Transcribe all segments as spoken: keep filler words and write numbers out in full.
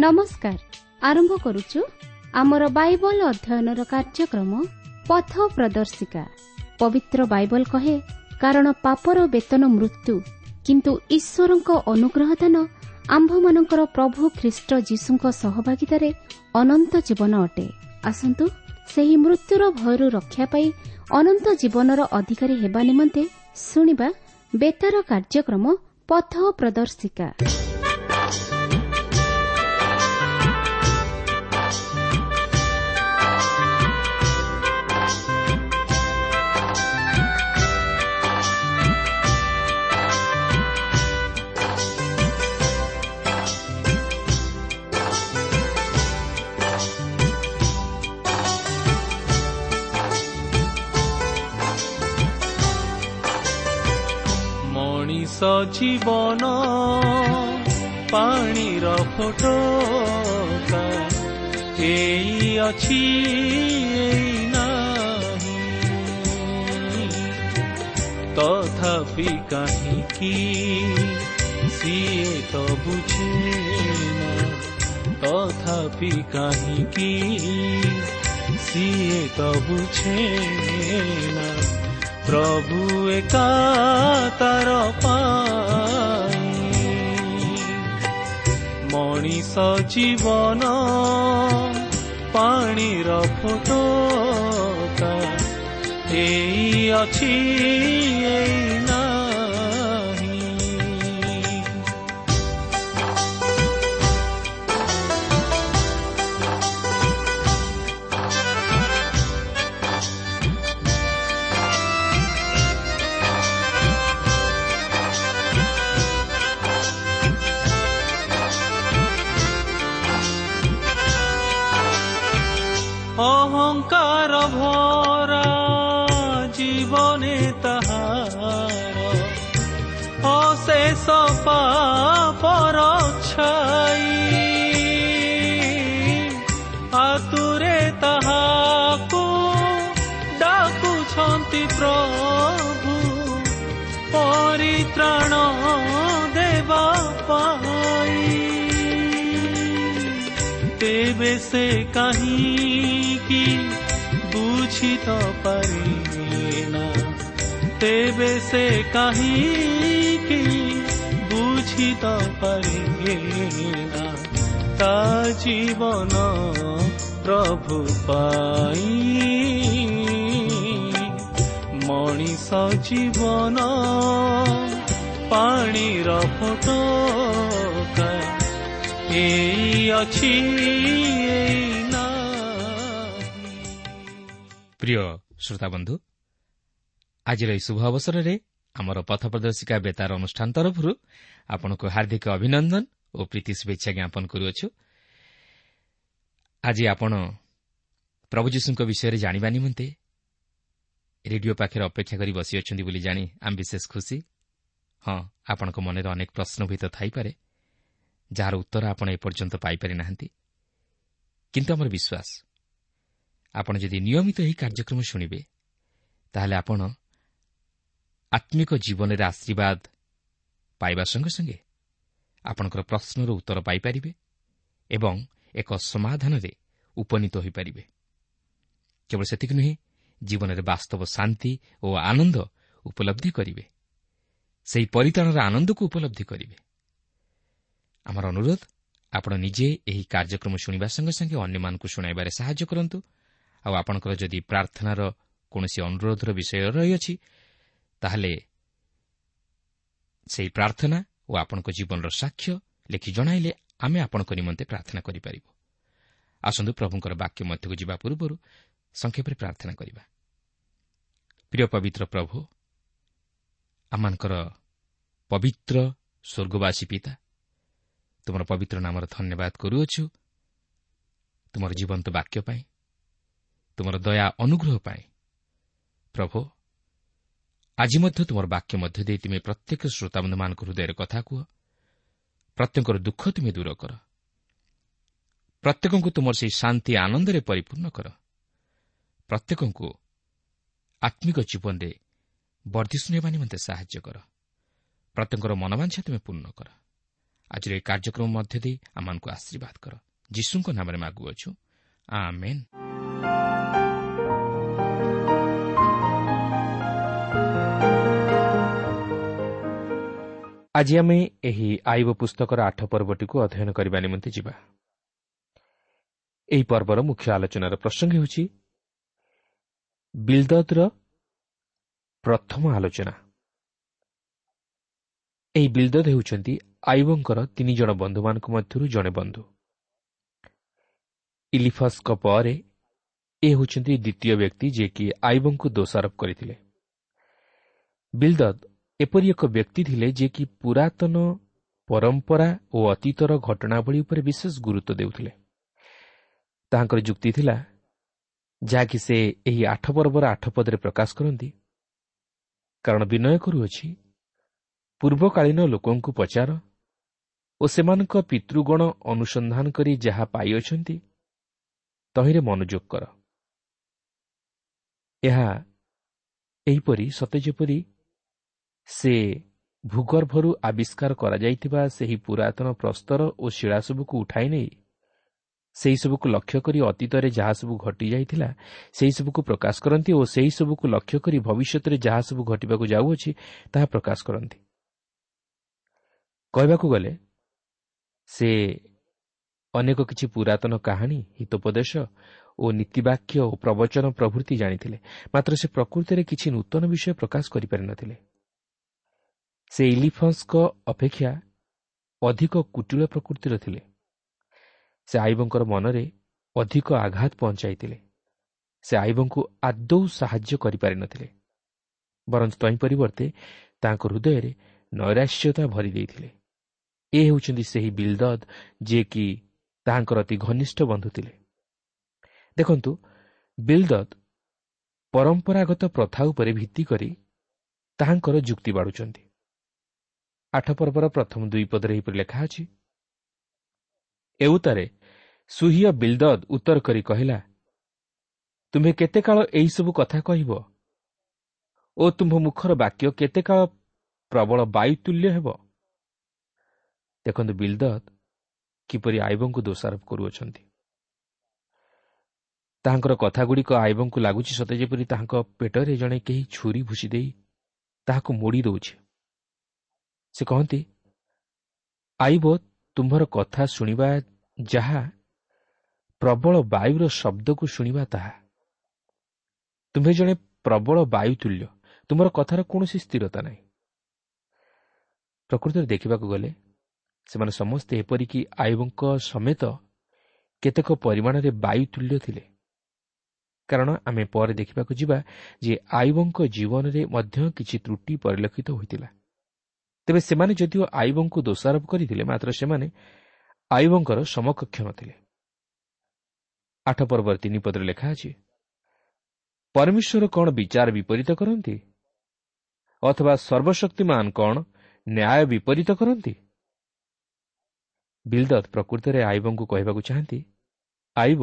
ନମସ୍କାର। ଆରମ୍ଭ କରୁଛୁ ଆମର ବାଇବଲ ଅଧ୍ୟୟନର କାର୍ଯ୍ୟକ୍ରମ ପଥ ପ୍ରଦର୍ଶିକା। ପବିତ୍ର ବାଇବଲ କହେ, କାରଣ ପାପର ବେତନ ମୃତ୍ୟୁ, କିନ୍ତୁ ଈଶ୍ୱରଙ୍କ ଅନୁଗ୍ରହ ଦାନ ଆମ୍ଭମାନଙ୍କର ପ୍ରଭୁ ଖ୍ରୀଷ୍ଟ ଯୀଶୁଙ୍କ ସହଭାଗିତାରେ ଅନନ୍ତ ଜୀବନ ଅଟେ। ଆସନ୍ତୁ ସେହି ମୃତ୍ୟୁର ଭୟରୁ ରକ୍ଷା ପାଇ ଅନନ୍ତ ଜୀବନର ଅଧିକାରୀ ହେବା ନିମନ୍ତେ ଶୁଣିବା ବେତାର କାର୍ଯ୍ୟକ୍ରମ ପଥ ପ୍ରଦର୍ଶିକା। ମଣିଷ ଜୀବନ ପାଣିର ଫୋଟକା, ଏଇ ଅଛି ଏଇ ନାହିଁ, ତଥାପି କାହିଁକି ସିଏ ତ ବୁଝେ ନା, ତଥାପି କାହିଁକି ସିଏ ତ ବୁଝେ ନା, ପ୍ରଭୁ ଏକା ତାର ପାଇଁ। ମଣିଷ ଜୀବନ ପାଣିର ଫୋଟକା, ଏଇ ଅଛି ଏଇ ନାହିଁ। ଅହଙ୍କାର ଭରା ଜୀବନେ ତାହାର ଅଶେଷ ପାପର ଛାଇ, ଆତୁରେ ତାହାକୁ ଡାକୁଛନ୍ତି ପ୍ରଭୁ ପରିତ୍ରାଣ ଦେବା ପାଇଁ। ତେବେ ସେ କାହିଁକି ବୁଝି ତ ପାରେ ନା, ତେବେ ସେ କାହିଁକି ବୁଝି ତ ପାରେ ନା, ତା ଜୀବନ ପ୍ରଭୁ ପାଇଁ। ମଣିଷ ଜୀବନ ପାଣିର ଫୋଟକା, ଏଇ ଅଛି ଏଇ ନାହିଁ। ପ୍ରିୟ ଶ୍ରୋତାବନ୍ଧୁ, ଆଜିର ଏହି ଶୁଭ ଅବସରରେ ଆମର ପଥ ପ୍ରଦର୍ଶିକା ବେତାର ଅନୁଷ୍ଠାନ ତରଫରୁ ଆପଣଙ୍କୁ ହାର୍ଦ୍ଦିକ ଅଭିନନ୍ଦନ ଓ ପ୍ରୀତି ଶୁଭେଚ୍ଛା ଜ୍ଞାପନ କରୁଅଛୁ। ଆଜି ଆପଣ ପ୍ରଭୁ ଯୀଶୁଙ୍କ ବିଷୟରେ ଜାଣିବା ନିମନ୍ତେ ରେଡିଓ ପାଖରେ ଅପେକ୍ଷା କରି ବସିଅଛନ୍ତି ବୋଲି ଜାଣି ଆମେ ବିଶେଷ ଖୁସି। ହଁ, ଆପଣଙ୍କ ମନରେ ଅନେକ ପ୍ରଶ୍ନ ହୁଏତ ଥାଇପାରେ, ଯାହାର ଉତ୍ତର ଆପଣ ଏପର୍ଯ୍ୟନ୍ତ ପାଇପାରି ନାହାନ୍ତି। କିନ୍ତୁ ଆମର ବିଶ୍ୱାସ, ଆପଣ ଯଦି ନିୟମିତ ଏହି କାର୍ଯ୍ୟକ୍ରମ ଶୁଣିବେ, ତାହେଲେ ଆପଣ ଆତ୍ମିକ ଜୀବନରେ ଆଶୀର୍ବାଦ ପାଇବା ସଙ୍ଗେ ସଙ୍ଗେ ଆପଣଙ୍କର ପ୍ରଶ୍ନର ଉତ୍ତର ପାଇପାରିବେ ଏବଂ ଏକ ସମାଧାନରେ ଉପନୀତ ହୋଇପାରିବେ। କେବଳ ସେତିକି ନୁହେଁ, ଜୀବନରେ ବାସ୍ତବ ଶାନ୍ତି ଓ ଆନନ୍ଦ ଉପଲବ୍ଧି କରିବେ, ସେହି ପରିତ୍ରାଣର ଆନନ୍ଦକୁ ଉପଲବ୍ଧି କରିବେ। ଆମର ଅନୁରୋଧ, ଆପଣ ନିଜେ ଏହି କାର୍ଯ୍ୟକ୍ରମ ଶୁଣିବା ସଙ୍ଗେ ସଙ୍ଗେ ଅନ୍ୟମାନଙ୍କୁ ଶୁଣାଇବାରେ ସାହାଯ୍ୟ କରନ୍ତୁ। ଆଉ ଆପଣଙ୍କର ଯଦି ପ୍ରାର୍ଥନାର କୌଣସି ଅନୁରୋଧର ବିଷୟ ରହିଅଛି, ତାହେଲେ ସେହି ପ୍ରାର୍ଥନା ଓ ଆପଣଙ୍କ ଜୀବନର ସାକ୍ଷ୍ୟ ଲେଖି ଜଣାଇଲେ ଆମେ ଆପଣଙ୍କ ନିମନ୍ତେ ପ୍ରାର୍ଥନା କରିପାରିବୁ। ଆସନ୍ତୁ ପ୍ରଭୁଙ୍କର ବାକ୍ୟ ମଧ୍ୟକୁ ଯିବା ପୂର୍ବରୁ ସଂକ୍ଷେପରେ ପ୍ରାର୍ଥନା କରିବା। ପ୍ରିୟ ପବିତ୍ର ପ୍ରଭୁ, ଆମମାନଙ୍କର ପବିତ୍ର ସ୍ୱର୍ଗବାସୀ ପିତା, ତୁମର ପବିତ୍ର ନାମର ଧନ୍ୟବାଦ କରୁଅଛୁ ତୁମର ଜୀବନ୍ତ ବାକ୍ୟ ପାଇଁ, ତୁମର ଦୟା ଅନୁଗ୍ରହ ପାଇଁ। ପ୍ରଭୁ, ଆଜି ମଧ୍ୟ ତୁମର ବାକ୍ୟ ମଧ୍ୟ ଦେଇ ତୁମେ ପ୍ରତ୍ୟେକ ଶ୍ରୋତାବନ୍ଧୁମାନଙ୍କ ହୃଦୟରେ କଥା କୁହ। ପ୍ରତ୍ୟେକଙ୍କର ଦୁଃଖ ତୁମେ ଦୂର କର, ପ୍ରତ୍ୟେକଙ୍କୁ ତୁମର ସେହି ଶାନ୍ତି ଆନନ୍ଦରେ ପରିପୂର୍ଣ୍ଣ କର, ପ୍ରତ୍ୟେକଙ୍କୁ ଆତ୍ମିକ ଜୀବନରେ ବର୍ଦ୍ଧିଷ୍ଣୁ ହେବା ନିମନ୍ତେ ସାହାଯ୍ୟ କର, ପ୍ରତ୍ୟେକଙ୍କର ମନବାଞ୍ଛା ତୁମେ ପୂର୍ଣ୍ଣ କର। ଆଜିର ଏହି କାର୍ଯ୍ୟକ୍ରମ ମଧ୍ୟ ଦେଇ ଆମମାନଙ୍କୁ ଆଶୀର୍ବାଦ କର। ଯୀଶୁଙ୍କ ନାମରେ ମାଗୁଅଛୁ, ଆମେନ୍। ଆଜି ଆମେ ଏହି ଆଇବ ପୁସ୍ତକର ଆଠ ପର୍ବଟିକୁ ଅଧ୍ୟୟନ କରିବା ନିମନ୍ତେ ଯିବା। ଏହି ପର୍ବର ମୁଖ୍ୟ ଆଲୋଚନାର ପ୍ରସଙ୍ଗ ହେଉଛି ବିଲଦଦର ପ୍ରଥମ ଆଲୋଚନା। ଏହି ବିଲଦଦ ହେଉଛନ୍ତି ଆଇବଙ୍କର ତିନି ଜଣ ବନ୍ଧୁମାନଙ୍କ ମଧ୍ୟରୁ ଜଣେ ବନ୍ଧୁ। ଇଲିଫସ୍ଙ୍କ ପରେ ଏ ହେଉଛନ୍ତି ଦ୍ୱିତୀୟ ବ୍ୟକ୍ତି ଯିଏକି ଆଇବଙ୍କୁ ଦୋଷାରୋପ କରିଥିଲେ। ବିଲଦଦ ଏପରି ଏକ ବ୍ୟକ୍ତି ଥିଲେ ଯିଏକି ପୁରାତନ ପରମ୍ପରା ଓ ଅତୀତର ଘଟଣାବଳୀ ଉପରେ ବିଶେଷ ଗୁରୁତ୍ୱ ଦେଉଥିଲେ। ତାହାଙ୍କର ଯୁକ୍ତି ଥିଲା, ଯାହାକି ସେ ଏହି ଆଠ ପର୍ବର ଆଠ ପଦରେ ପ୍ରକାଶ କରନ୍ତି, କାରଣ ବିନୟ କରୁଅଛି, ପୂର୍ବକାଳୀନ ଲୋକଙ୍କୁ ପଚାର ଓ ସେମାନଙ୍କ ପିତୃଗଣ ଅନୁସନ୍ଧାନ କରି ଯାହା ପାଇଅଛନ୍ତି ତହିଁରେ ମନୋଯୋଗ କର। ଏହା ଏହିପରି ସତେ ଯେପରି ସେ ଭୂଗର୍ଭରୁ ଆବିଷ୍କାର କରାଯାଇଥିବା ସେହି ପୁରାତନ ପ୍ରସ୍ତର ଓ ଶିଳା ସବୁକୁ ଉଠାଇ ନେଇ ସେହିସବୁକୁ ଲକ୍ଷ୍ୟ କରି ଅତୀତରେ ଯାହା ସବୁ ଘଟିଯାଇଥିଲା ସେହିସବୁକୁ ପ୍ରକାଶ କରନ୍ତି ଓ ସେହିସବୁକୁ ଲକ୍ଷ୍ୟ କରି ଭବିଷ୍ୟତରେ ଯାହା ସବୁ ଘଟିବାକୁ ଯାଉଅଛି ତାହା ପ୍ରକାଶ କରନ୍ତି। କହିବାକୁ ଗଲେ ସେ ଅନେକ କିଛି ପୁରାତନ କାହାଣୀ, ହିତୋପଦେଶ ଓ ନୀତିବାକ୍ୟ ଓ ପ୍ରବଚନ ପ୍ରଭୃତି ଜାଣିଥିଲେ, ମାତ୍ର ସେ ପ୍ରକୃତିରେ କିଛି ନୂତନ ବିଷୟ ପ୍ରକାଶ କରିପାରିନଥିଲେ। ସେ ଇଲିଫନ୍ସଙ୍କ ଅପେକ୍ଷା ଅଧିକ କୁଟିଳ ପ୍ରକୃତିର ଥିଲେ। ସେ ଆଇବଙ୍କର ମନରେ ଅଧିକ ଆଘାତ ପହଞ୍ଚାଇଥିଲେ। ସେ ଆଇବଙ୍କୁ ଆଦୌ ସାହାଯ୍ୟ କରିପାରିନଥିଲେ, ବରଂ ତହିଁ ପରିବର୍ତ୍ତେ ତାଙ୍କ ହୃଦୟରେ ନୈରାଶ୍ୟତା ଭରି ଦେଇଥିଲେ। ଏ ହେଉଛନ୍ତି ସେହି ବିଲଦଦ ଯିଏକି ତାହାଙ୍କର ଅତି ଘନିଷ୍ଠ ବନ୍ଧୁ ଥିଲେ। ଦେଖନ୍ତୁ, ବିଲଦଦ ପରମ୍ପରାଗତ ପ୍ରଥା ଉପରେ ଭିତ୍ତି କରି ତାହାଙ୍କର ଯୁକ୍ତି ବାଢ଼ୁଛନ୍ତି। ଆଠ ପର୍ବର ପ୍ରଥମ ଦୁଇ ପଦରେ ଏହିପରି ଲେଖା ଅଛି, ଏଉତାରେ ସୁହିୟ ବିଲଦଦ ଉତ୍ତର କରି କହିଲା, ତୁମ୍ଭେ କେତେ କାଳ ଏହିସବୁ କଥା କହିବ ଓ ତୁମ୍ଭ ମୁଖର ବାକ୍ୟ କେତେ କାଳ ପ୍ରବଳ ବାୟୁତୁଲ୍ୟ ହେବ? ଦେଖନ୍ତୁ, ବିଲଦଦ କିପରି ଆଇବଙ୍କୁ ଦୋଷାରୋପ କରୁଅଛନ୍ତି। ତାହାଙ୍କର କଥାଗୁଡ଼ିକ ଆଇବଙ୍କୁ ଲାଗୁଛି ସତେ ଯେପରି ତାହାଙ୍କ ପେଟରେ ଜଣେ କେହି ଛୁରୀ ଭୁସି ଦେଇ ତାହାକୁ ମୋଡ଼ି ଦେଉଛି। ସେ କହନ୍ତି, ଆଇବ ତୁମ୍ଭର କଥା ଶୁଣିବା ଯାହା, ପ୍ରବଳ ବାୟୁର ଶବ୍ଦକୁ ଶୁଣିବା ତାହା। ତୁମ୍ଭେ ଜଣେ ପ୍ରବଳ ବାୟୁତୁଲ୍ୟ, ତୁମର କଥାର କୌଣସି ସ୍ଥିରତା ନାହିଁ। ପ୍ରକୃତରେ ଦେଖିବାକୁ ଗଲେ ସେମାନେ ସମସ୍ତେ ଏପରିକି ଆଇବଙ୍କ ସମେତ କେତେକ ପରିମାଣରେ ବାୟୁତୁଲ୍ୟ ଥିଲେ, କାରଣ ଆମେ ପରେ ଦେଖିବାକୁ ଯିବା ଯେ ଆଇବଙ୍କ ଜୀବନରେ ମଧ୍ୟ କିଛି ତ୍ରୁଟି ପରିଲକ୍ଷିତ ହୋଇଥିଲା। ତେବେ ସେମାନେ ଯଦିଓ ଆଇବଙ୍କୁ ଦୋଷାରୋପ କରିଥିଲେ, ମାତ୍ର ସେମାନେ ଆଇବଙ୍କର ସମକକ୍ଷ ନଥିଲେ। ଆଠ ପର୍ବର ତିନି ପଦରେ ଲେଖା ଅଛି, ପରମେଶ୍ୱର କ'ଣ ବିଚାର ବିପରୀତ କରନ୍ତି? ଅଥବା ସର୍ବଶକ୍ତିମାନ କ'ଣ ନ୍ୟାୟ ବିପରୀତ କରନ୍ତି? ବିଲଦଦ ପ୍ରକୃତରେ ଆଇବଙ୍କୁ କହିବାକୁ ଚାହାନ୍ତି, ଆଇବ,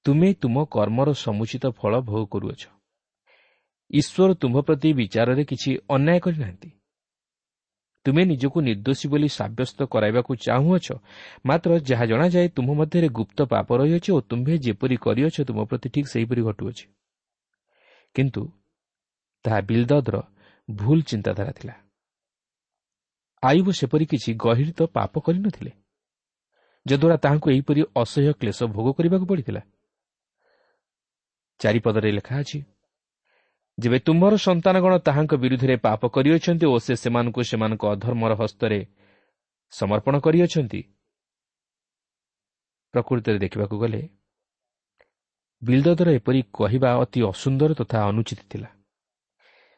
ତୁମେ ତୁମ କର୍ମର ସମୁଚିତ ଫଳ ଭୋଗ କରୁଅଛ। ଈଶ୍ୱର ତୁମ୍ଭ ପ୍ରତି ବିଚାରରେ କିଛି ଅନ୍ୟାୟ କରିନାହାନ୍ତି। ତୁମେ ନିଜକୁ ନିର୍ଦ୍ଦୋଷୀ ବୋଲି ସାବ୍ୟସ୍ତ କରାଇବାକୁ ଚାହୁଁଅଛ, ମାତ୍ର ଯାହା ଜଣାଯାଏ ତୁମ୍ଭ ମଧ୍ୟରେ ଗୁପ୍ତ ପାପ ରହିଅଛି ଓ ତୁମ୍ଭେ ଯେପରି କରିଅଛ ତୁମ ପ୍ରତି ଠିକ୍ ସେହିପରି ଘଟୁଅଛି। କିନ୍ତୁ ତାହା ବିଲଦଦର ଭୁଲ ଚିନ୍ତାଧାରା ଥିଲା। ଆଇବ ସେପରି କିଛି ଗହୀରିତ ପାପ କରିନଥିଲେ ଯଦ୍ୱାରା ତାହାଙ୍କୁ ଏହିପରି ଅସହ୍ୟ କ୍ଲେଶ ଭୋଗ କରିବାକୁ ପଡ଼ିଥିଲା। ଚାରିପଦରେ ଲେଖା ଅଛି, ଯେବେ ତୁମ୍ଭର ସନ୍ତାନଗଣ ତାହାଙ୍କ ବିରୁଦ୍ଧରେ ପାପ କରିଅଛନ୍ତି ଓ ସେ ସେମାନଙ୍କୁ ସେମାନଙ୍କ ଅଧର୍ମର ହସ୍ତରେ ସମର୍ପଣ କରିଅଛନ୍ତି। ପ୍ରକୃତରେ ଦେଖିବାକୁ ଗଲେ ବିଲଦଦର ଏପରି କହିବା ଅତି ଅସୁନ୍ଦର ତଥା ଅନୁଚିତ ଥିଲା।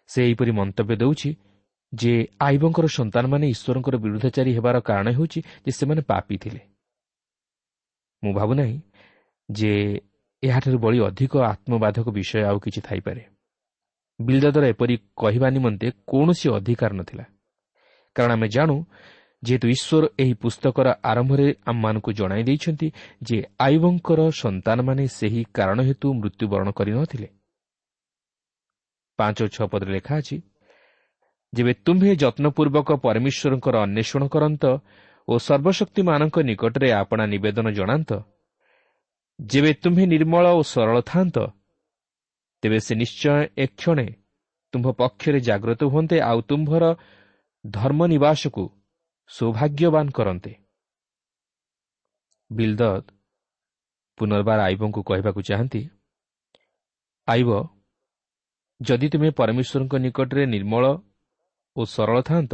ସେ ଏହିପରି ମନ୍ତବ୍ୟ ଦେଉଛି ଯେ ଆଇବଙ୍କର ସନ୍ତାନମାନେ ଈଶ୍ୱରଙ୍କର ବିରୁଦ୍ଧାଚାରୀ ହେବାର କାରଣ ହେଉଛି ଯେ ସେମାନେ ପାପୀ ଥିଲେ। ମୁଁ ଭାବୁନାହିଁ ଯେ ଏହାଠାରୁ ବଳି ଅଧିକ ଆତ୍ମବାଧକ ବିଷୟ ଆଉ କିଛି ଥାଇପାରେ। ବିଲଦଦର ଏପରି କହିବା ନିମନ୍ତେ କୌଣସି ଅଧିକାର ନଥିଲା, କାରଣ ଆମେ ଜାଣୁ ଯେହେତୁ ଈଶ୍ୱର ଏହି ପୁସ୍ତକର ଆରମ୍ଭରେ ଆମମାନଙ୍କୁ ଜଣାଇ ଦେଇଛନ୍ତି ଯେ ଆଇବଙ୍କର ସନ୍ତାନମାନେ ସେହି କାରଣ ହେତୁ ମୃତ୍ୟୁବରଣ କରିନଥିଲେ। ପାଞ୍ଚ ଓ ଛଅ ପଦରେ ଲେଖା ଅଛି, ଯେବେ ତୁମ୍ଭେ ଯତ୍ନପୂର୍ବକ ପରମେଶ୍ୱରଙ୍କର ଅନ୍ୱେଷଣ କରନ୍ତ ଓ ସର୍ବଶକ୍ତିମାନଙ୍କ ନିକଟରେ ଆପଣା ନିବେଦନ ଜଣାନ୍ତ, ଯେବେ ତୁମ୍ଭେ ନିର୍ମଳ ଓ ସରଳ ଥାନ୍ତ, ତେବେ ସେ ନିଶ୍ଚୟ ଏକ୍ଷଣେ ତୁମ୍ଭ ପକ୍ଷରେ ଜାଗ୍ରତ ହୁଅନ୍ତେ ଆଉ ତୁମ୍ଭର ଧର୍ମ ନିବାସକୁ ସୌଭାଗ୍ୟବାନ କରନ୍ତେ। ବିଲଦଦ ପୁନର୍ବାର ଆଇବଙ୍କୁ କହିବାକୁ ଚାହାନ୍ତି, ଆଇବ, ଯଦି ତୁମେ ପରମେଶ୍ୱରଙ୍କ ନିକଟରେ ନିର୍ମଳ ଓ ସରଳ ଥାନ୍ତ,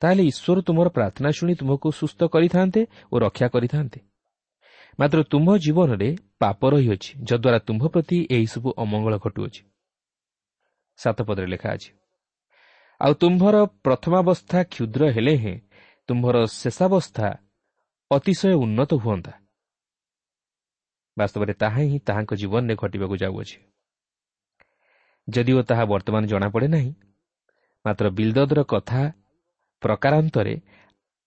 ତାହେଲେ ଈଶ୍ୱର ତୁମର ପ୍ରାର୍ଥନା ଶୁଣି ତୁମକୁ ସୁସ୍ଥ କରିଥାନ୍ତେ ଓ ରକ୍ଷା କରିଥାନ୍ତେ। ମାତ୍ର ତୁମ୍ଭ ଜୀବନରେ ପାପ ରହିଅଛି, ଯଦ୍ୱାରା ତୁମ୍ଭ ପ୍ରତି ଏହିସବୁ ଅମଙ୍ଗଳ ଘଟୁଅଛି। ସାତ ପଦରେ ଲେଖା ଅଛି, ଆଉ ତୁମ୍ଭର ପ୍ରଥମାବସ୍ଥା କ୍ଷୁଦ୍ର ହେଲେ ହେଁ ତୁମ୍ଭର ଶେଷାବସ୍ଥା ଅତିଶୟ ଉନ୍ନତ ହୁଅନ୍ତା। ବାସ୍ତବରେ ତାହା ହିଁ ତାହାଙ୍କ ଜୀବନରେ ଘଟିବାକୁ ଯାଉଅଛି। ଯଦିଓ ତାହା ବର୍ତ୍ତମାନ ଜଣାପଡ଼େ ନାହିଁ, ମାତ୍ର ବିଲଦଦର କଥା ପ୍ରକାରାନ୍ତରେ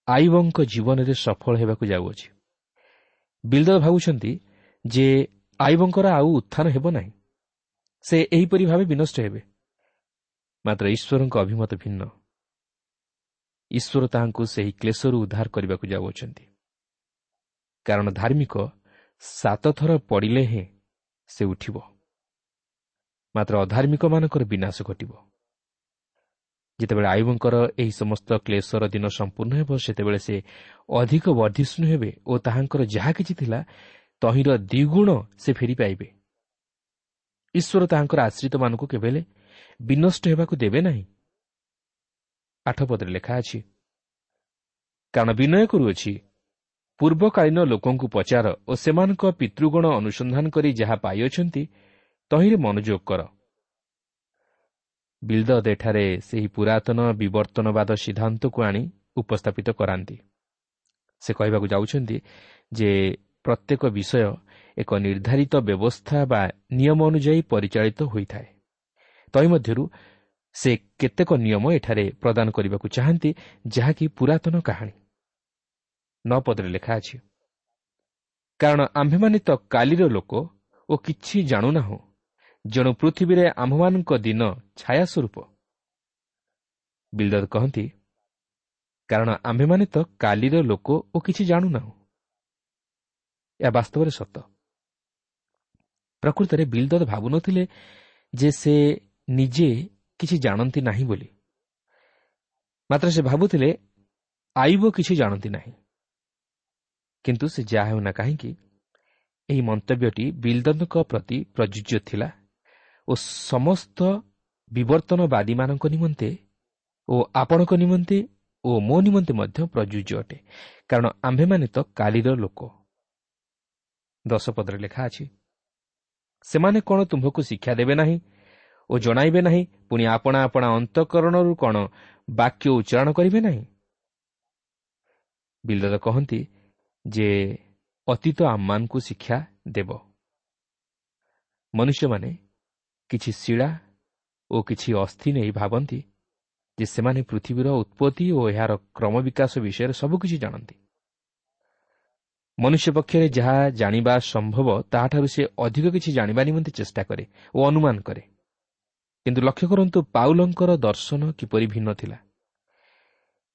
ଆଇବଙ୍କ ଜୀବନରେ ସଫଳ ହେବାକୁ ଯାଉଅଛି। ବିଲଦଦ ଭାବୁଛନ୍ତି ଯେ ଆଇବଙ୍କର ଆଉ ଉତ୍ଥାନ ହେବ ନାହିଁ, ସେ ଏହିପରି ଭାବେ ବିନଷ୍ଟ ହେବେ। ମାତ୍ର ଈଶ୍ୱରଙ୍କ ଅଭିମତ ଭିନ୍ନ। ଈଶ୍ୱର ତାହାଙ୍କୁ ସେହି କ୍ଲେଶରୁ ଉଦ୍ଧାର କରିବାକୁ ଯାଉଅଛନ୍ତି, କାରଣ ଧାର୍ମିକ ସାତ ଥର ପଡ଼ିଲେ ହେଁ ସେ ଉଠିବ, ମାତ୍ର ଅଧାର୍ମିକମାନଙ୍କର ବିନାଶ ଘଟିବ। ଯେତେବେଳେ ଆୟୁବଙ୍କର ଏହି ସମସ୍ତ କ୍ଲେଶର ଦିନ ସମ୍ପୂର୍ଣ୍ଣ ହେବ, ସେତେବେଳେ ସେ ଅଧିକ ବର୍ଦ୍ଧିଷ୍ଣୁ ହେବେ ଓ ତାହାଙ୍କର ଯାହା କିଛି ଥିଲା ତହିଁର ଦ୍ୱିଗୁଣ ସେ ଫେରି ପାଇବେ। ଈଶ୍ୱର ତାହାଙ୍କର ଆଶ୍ରିତମାନଙ୍କୁ କେବେ ହେଲେ ବିନଷ୍ଟ ହେବାକୁ ଦେବେ ନାହିଁ। ଆଠ ପଦରେ ଲେଖା ଅଛି, କାରଣ ବିନୟ କରୁଅଛି, ପୂର୍ବକାଳୀନ ଲୋକଙ୍କୁ ପଚାର ଓ ସେମାନଙ୍କ ପିତୃଗଣ ଅନୁସନ୍ଧାନ କରି ଯାହା ପାଇଅଛନ୍ତି ତହିଁରେ ମନୋଯୋଗ କର। ବିଲଦଦ ଏଠାରେ ସେହି ପୁରାତନ ବିବର୍ତ୍ତନବାଦ ସିଦ୍ଧାନ୍ତକୁ ଆଣି ଉପସ୍ଥାପିତ କରାନ୍ତି। ସେ କହିବାକୁ ଯାଉଛନ୍ତି ଯେ ପ୍ରତ୍ୟେକ ବିଷୟ ଏକ ନିର୍ଦ୍ଧାରିତ ବ୍ୟବସ୍ଥା ବା ନିୟମ ଅନୁଯାୟୀ ପରିଚାଳିତ ହୋଇଥାଏ। ତହିଁ ମଧ୍ୟରୁ ସେ କେତେକ ନିୟମ ଏଠାରେ ପ୍ରଦାନ କରିବାକୁ ଚାହାନ୍ତି, ଯାହାକି ପୁରାତନ କାହାଣୀ। ନଅ ପଦରେ ଲେଖା ଅଛି, କାରଣ ଆମ୍ଭେମାନେ ତ କାଲିର ଲୋକ ଓ କିଛି ଜାଣୁନାହୁଁ, ଯେଣୁ ପୃଥିବୀରେ ଆମ୍ଭମାନଙ୍କ ଦିନ ଛାୟା ସ୍ୱରୂପ। ବିଲଦଦ କହନ୍ତି, କାରଣ ଆମ୍ଭେମାନେ ତ କାଲିର ଲୋକ ଓ କିଛି ଜାଣୁନାହୁଁ। ଏହା ବାସ୍ତବରେ ସତ। ପ୍ରକୃତରେ ବିଲଦଦ ଭାବୁନଥିଲେ ଯେ ସେ ନିଜେ କିଛି ଜାଣନ୍ତି ନାହିଁ ବୋଲି, ମାତ୍ର ସେ ଭାବୁଥିଲେ ଆଇବ କିଛି ଜାଣନ୍ତି ନାହିଁ। କିନ୍ତୁ ସେ ଯାହା ହେଉନା କାହିଁକି, ଏହି ମନ୍ତବ୍ୟଟି ବିଲଦଦଙ୍କ ପ୍ରତି ପ୍ରଯୁଜ୍ୟ ଥିଲା ଓ ସମସ୍ତ ବିବର୍ତ୍ତନବାଦୀମାନଙ୍କ ନିମନ୍ତେ ଓ ଆପଣଙ୍କ ନିମନ୍ତେ ଓ ମୋ ନିମନ୍ତେ ମଧ୍ୟ ପ୍ରଯୁଜ୍ୟ ଅଟେ, କାରଣ ଆମ୍ଭେମାନେ ତ କାଲିର ଲୋକ। ଦଶ ପଦରେ ଲେଖା ଅଛି, ସେମାନେ କ'ଣ ତୁମ୍ଭକୁ ଶିକ୍ଷା ଦେବେ ନାହିଁ ଓ ଜଣାଇବେ ନାହିଁ, ପୁଣି ଆପଣା ଆପଣା ଅନ୍ତଃକରଣରୁ କ'ଣ ବାକ୍ୟ ଉଚ୍ଚାରଣ କରିବେ ନାହିଁ? ବିଲଦଦ କହନ୍ତି ଯେ ଅତୀତ ଆମମାନଙ୍କୁ ଶିକ୍ଷା ଦେବ। ମନୁଷ୍ୟମାନେ କିଛି ଶିଳା ଓ କିଛି ଅସ୍ଥି ନେଇ ଭାବନ୍ତି ଯେ ସେମାନେ ପୃଥିବୀର ଉତ୍ପତ୍ତି ଓ ଏହାର କ୍ରମବିକାଶ ବିଷୟରେ ସବୁକିଛି ଜାଣନ୍ତି। ମନୁଷ୍ୟ ପକ୍ଷରେ ଯାହା ଜାଣିବା ସମ୍ଭବ ତାହାଠାରୁ ସେ ଅଧିକ କିଛି ଜାଣିବା ନିମନ୍ତେ ଚେଷ୍ଟା କରେ ଓ ଅନୁମାନ କରେ। କିନ୍ତୁ ଲକ୍ଷ୍ୟ କରନ୍ତୁ, ପାଉଲଙ୍କର ଦର୍ଶନ କିପରି ଭିନ୍ନ ଥିଲା।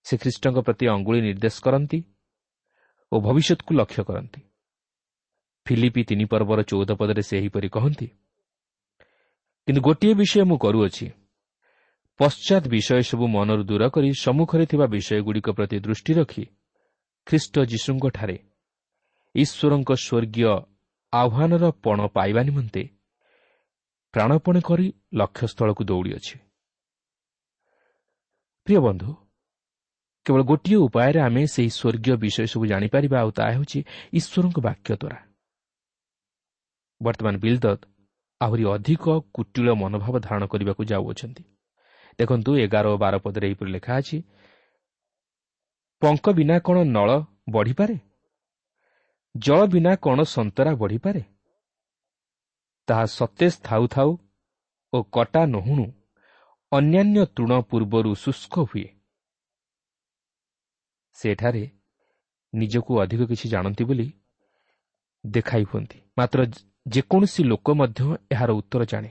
ସେ ଖ୍ରୀଷ୍ଟଙ୍କ ପ୍ରତି ଅଙ୍ଗୁଳି ନିର୍ଦ୍ଦେଶ କରନ୍ତି ଓ ଭବିଷ୍ୟତକୁ ଲକ୍ଷ୍ୟ କରନ୍ତି। ଫିଲିପି ତିନି ପର୍ବର ଚଉଦ ପଦରେ ସେ ଏହିପରି କହନ୍ତି, କିନ୍ତୁ ଗୋଟିଏ ବିଷୟ ମୁଁ କରୁଅଛି, ପଶ୍ଚାତ୍ ବିଷୟ ସବୁ ମନରୁ ଦୂର କରି ସମ୍ମୁଖରେ ଥିବା ବିଷୟଗୁଡ଼ିକ ପ୍ରତି ଦୃଷ୍ଟି ରଖି ଖ୍ରୀଷ୍ଟ ଯୀଶୁଙ୍କଠାରେ ଈଶ୍ୱରଙ୍କ ସ୍ୱର୍ଗୀୟ ଆହ୍ୱାନର ପଣ ପାଇବା ନିମନ୍ତେ ପ୍ରାଣପଣ କରି ଲକ୍ଷ୍ୟସ୍ଥଳକୁ ଦୌଡ଼ିଅଛି। ପ୍ରିୟ ବନ୍ଧୁ, କେବଳ ଗୋଟିଏ ଉପାୟରେ ଆମେ ସେହି ସ୍ୱର୍ଗୀୟ ବିଷୟ ସବୁ ଜାଣିପାରିବା, ଆଉ ତାହା ହେଉଛି ଈଶ୍ୱରଙ୍କ ବାକ୍ୟ ଦ୍ୱାରା। ବର୍ତ୍ତମାନ ବିଲଦଦ ଆହୁରି ଅଧିକ କୁଟିଳ ମନୋଭାବ ଧାରଣ କରିବାକୁ ଯାଉଅଛନ୍ତି। ଦେଖନ୍ତୁ, ଏଗାର ଓ ବାର ପଦରେ ଏହିପରି ଲେଖା ଅଛି, ପଙ୍କ ବିନା କ'ଣ ନଳ ବଢ଼ିପାରେ? ଜଳ ବିନା କ'ଣ ସନ୍ତରା ବଢ଼ିପାରେ? ତାହା ସତେଜ ଥାଉ ଥାଉ ଓ କଟା ନହୁଣୁ ଅନ୍ୟାନ୍ୟ ତୃଣ ପୂର୍ବରୁ ଶୁଷ୍କ ହୁଏ। ସେଠାରେ ନିଜକୁ ଅଧିକ କିଛି ଜାଣନ୍ତି ବୋଲି ଦେଖାଇ ହୁଅନ୍ତି, ମାତ୍ର ଯେକୌଣସି ଲୋକ ମଧ୍ୟ ଏହାର ଉତ୍ତର ଜାଣେ।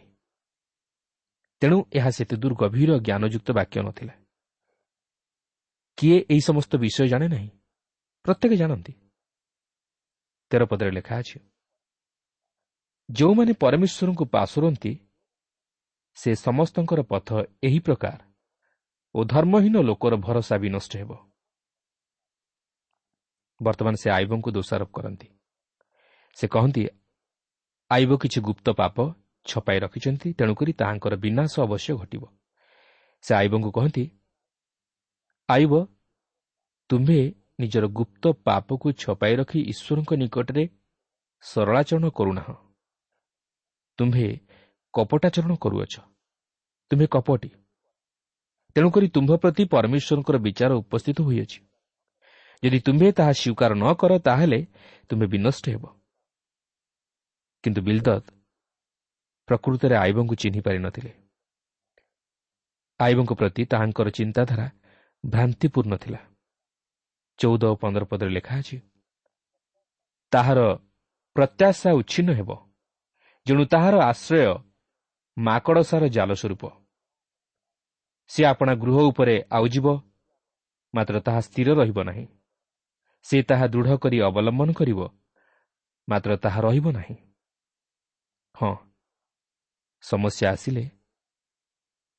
ତେଣୁ ଏହା ସେତେ ଦୂର ଗଭୀର ଜ୍ଞାନଯୁକ୍ତ ବାକ୍ୟ ନଥିଲା। କିଏ ଏହି ସମସ୍ତ ବିଷୟ ଜାଣେ ନାହିଁ? ପ୍ରତ୍ୟେକ ଜାଣନ୍ତି। ତେର ପଦରେ ଲେଖା ଅଛି, ଯେଉଁମାନେ ପରମେଶ୍ୱରଙ୍କୁ ପାଶୋରନ୍ତି ସେ ସମସ୍ତଙ୍କର ପଥ ଏହି ପ୍ରକାର ଓ ଧର୍ମହୀନ ଲୋକର ଭରସା ବିନଷ୍ଟ ହେବ। ବର୍ତ୍ତମାନ ସେ ଆଇବଙ୍କୁ ଦୋଷାରୋପ କରନ୍ତି। ସେ କହନ୍ତି, ଆଇବ କିଛି ଗୁପ୍ତ ପାପ ଛପାଇ ରଖିଛନ୍ତି, ତେଣୁକରି ତାହାଙ୍କର ବିନାଶ ଅବଶ୍ୟ ଘଟିବ। ସେ ଆଇବଙ୍କୁ କହନ୍ତି, ଆଇବ, ତୁମ୍ଭେ ନିଜର ଗୁପ୍ତ ପାପକୁ ଛପାଇ ରଖି ଈଶ୍ୱରଙ୍କ ନିକଟରେ ସରଳାଚରଣ କରୁନାହଁ। ତୁମ୍ଭେ କପଟାଚରଣ କରୁଅଛ, ତୁମ୍ଭେ କପଟି, ତେଣୁକରି ତୁମ୍ଭ ପ୍ରତି ପରମେଶ୍ୱରଙ୍କର ବିଚାର ଉପସ୍ଥିତ ହୋଇଅଛି। ଯଦି ତୁମ୍ଭେ ତାହା ସ୍ୱୀକାର ନ କର, ତାହେଲେ ତୁମ୍ଭେ ବିନଷ୍ଟ ହେବ। କିନ୍ତୁ ବିଲଦଦ ପ୍ରକୃତରେ ଆଇବଙ୍କୁ ଚିହ୍ନି ପାରିନଥିଲେ। ଆଇବଙ୍କ ପ୍ରତି ତାହାଙ୍କର ଚିନ୍ତାଧାରା ଭ୍ରାନ୍ତିପୂର୍ଣ୍ଣ ଥିଲା। ଚଉଦ ଓ ପନ୍ଦର ପଦରେ ଲେଖା ଅଛି, ତାହାର ପ୍ରତ୍ୟାଶା ଉଚ୍ଛିନ୍ନ ହେବ, ଯେଣୁ ତାହାର ଆଶ୍ରୟ ମାକଡ଼ସାର ଜାଲ ସ୍ୱରୂପ। ସେ ଆପଣା ଗୃହ ଉପରେ ଆଉଜିବ, ମାତ୍ର ତାହା ସ୍ଥିର ରହିବ ନାହିଁ। ସେ ତାହା ଦୃଢ଼ କରି ଅବଲମ୍ବନ କରିବ, ମାତ୍ର ତାହା ରହିବ ନାହିଁ। ହଁ, ସମସ୍ୟା ଆସିଲେ